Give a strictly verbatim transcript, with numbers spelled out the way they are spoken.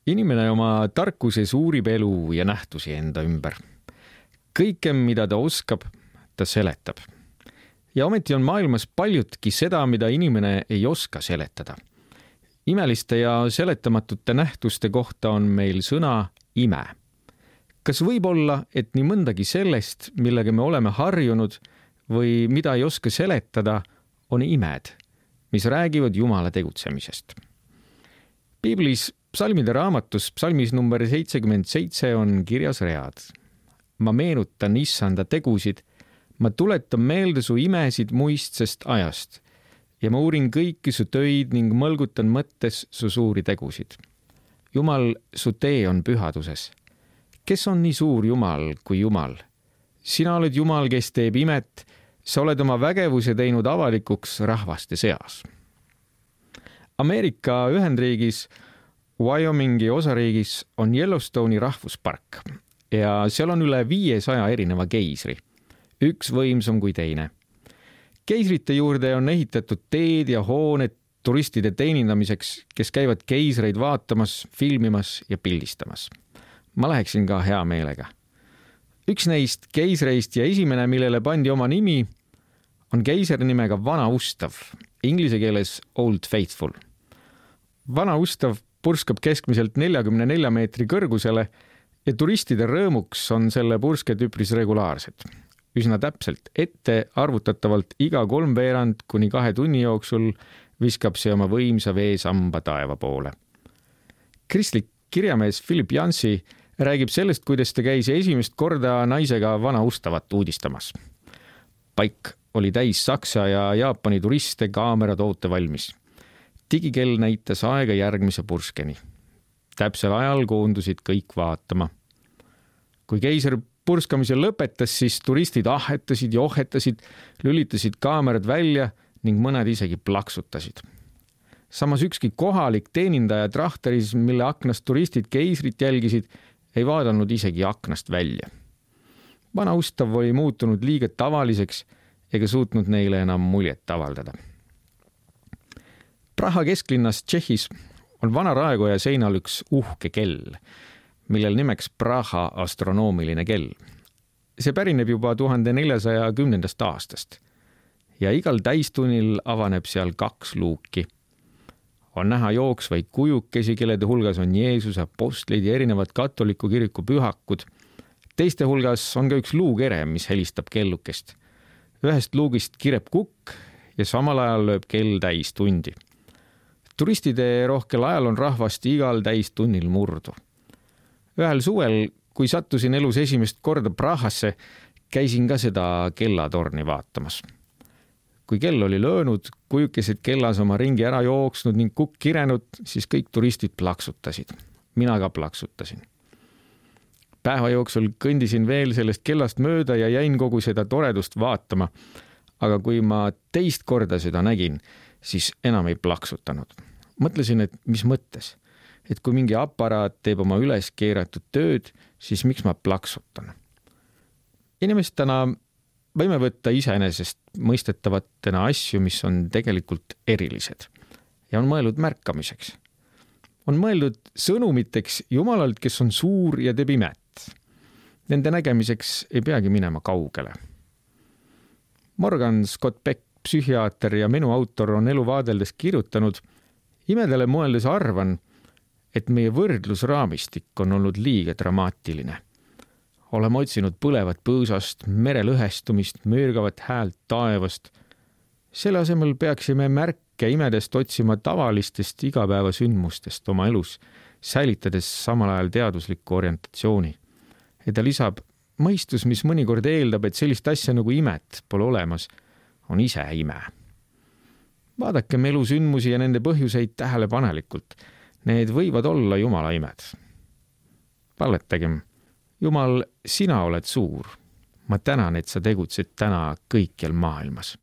Inimene oma tarkuses uurib elu ja nähtusi enda ümber. Kõike, mida ta oskab, ta seletab. Ja ometi on maailmas paljutki seda, mida inimene ei oska seletada. Imeliste ja seletamatute nähtuste kohta on meil sõna ime. Kas võib olla, et nii mõndagi sellest, millega me oleme harjunud või mida ei oska seletada, on imed, mis räägivad Jumala tegutsemisest? Piiblis psalmide raamatus psalmis number seitsekümmend seitse on kirjas read. Ma meenutan issanda tegusid, ma tuletan meelde su imesid muistsest ajast ja ma uurin kõiki su töid ning mõlgutan mõttes su suuri tegusid. Jumal, su tee on pühaduses. Kes on nii suur Jumal kui Jumal? Sina oled Jumal, kes teeb imet, sa oled oma vägevuse teinud avalikuks rahvaste seas. Ameerika Ühendriigis Wyomingi osariigis on Yellowstone'i rahvuspark ja seal on üle viiesaja erineva keisri. Üks võimsam kui teine. Keisrite juurde on ehitatud teed ja hooned turistide teenindamiseks, kes käivad keisreid vaatamas, filmimas ja pildistamas. Ma läheksin ka hea meelega. Üks neist keisreist ja esimene, millele pandi oma nimi, on keiser nimega Vana Ustav, inglise keeles Old Faithful. Vana Ustav purskab keskmiselt neljakümne nelja meetri kõrgusele ja turistide rõõmuks on selle pursked üpris regulaarsed. Üsna täpselt ette arvutatavalt iga kolmveerand kuni kahe tunni jooksul viskab see oma võimsa veesamba taeva poole. Kristlik kirjamees Philip Yancey räägib sellest, kuidas ta käis esimest korda naisega Vana Ustavat uudistamas. Paik oli täis Saksa ja Jaapani turiste kaamerad oote valmis. Digikell näitas aega järgmise purskeni. Täpsel ajal koondusid kõik vaatama. Kui keiser purskamise lõpetas, siis turistid ahetasid ja ohetasid, lülitasid kaamerad välja ning mõned isegi plaksutasid. Samas ükski kohalik teenindaja trahteris, mille aknast turistid keisrit jälgisid, ei vaadanud isegi aknast välja. Vana Ustav oli muutunud liiga tavaliseks ega suutnud neile enam muljet avaldada. Praha kesklinnas Tšehhis on vana raekoja seinal üks uhke kell, millel nimeks Praha astronoomiline kell. See pärineb juba tuhande neljasaja kümnendast aastast ja igal täistunnil avaneb seal kaks luuki. On näha jooksvaid kujukesi, kellede hulgas on Jeesus, apostlid ja erinevad katoliku kiriku pühakud. Teiste hulgas on ka üks luukere, mis helistab kellukest. Ühest luugist kireb kukk ja samal ajal lööb kell täis tundi. Turistide rohkel ajal on rahvast igal täistunnil murdu. Ühel suvel, kui sattusin elus esimest korda Prahasse, käisin ka seda kellatorni vaatamas. Kui kell oli löönud, kujukesed kellas oma ringi ära jooksnud ning kukk kirenud, siis kõik turistid plaksutasid. Mina ka plaksutasin. Päeva jooksul kõndisin veel sellest kellast mööda ja jäin kogu seda toredust vaatama, aga kui ma teist korda seda nägin, siis enam ei plaksutanud. Mõtlesin, et mis mõttes, et kui mingi aparaat teeb oma üles keeratud tööd, siis miks ma plaksutan? Inimestena võime võtta iseenesest mõistetavatena asju, mis on tegelikult erilised ja on mõeldud märkamiseks. On mõeldud sõnumiteks Jumalalt, kes on suur ja teeb imet. Nende nägemiseks ei peagi minema kaugele. Morgan Scott Peck, psühhiaater ja menu autor, on elu vaadeldes kirjutanud: imedele mõeldes arvan, et meie võrdlusraamistik on olnud liiga dramaatiline. Oleme otsinud põlevat põõsast, mere lõhestumist, möörgavat häält taevast. Selle asemel peaksime märke imedest otsima tavalistest igapäevasündmustest oma elus, säilitades samal ajal teaduslikku orientatsiooni. Ja ta lisab: mõistus, mis mõnikord eeldab, et sellist asja nagu imet pole olemas, on ise ime. Vaadakem elusündmusi ja nende põhjuseid tähelepanelikult. Need võivad olla Jumala imed. Palvetagem: Jumal, sina oled suur. Ma tänan, et sa tegutsed täna kõikjal maailmas.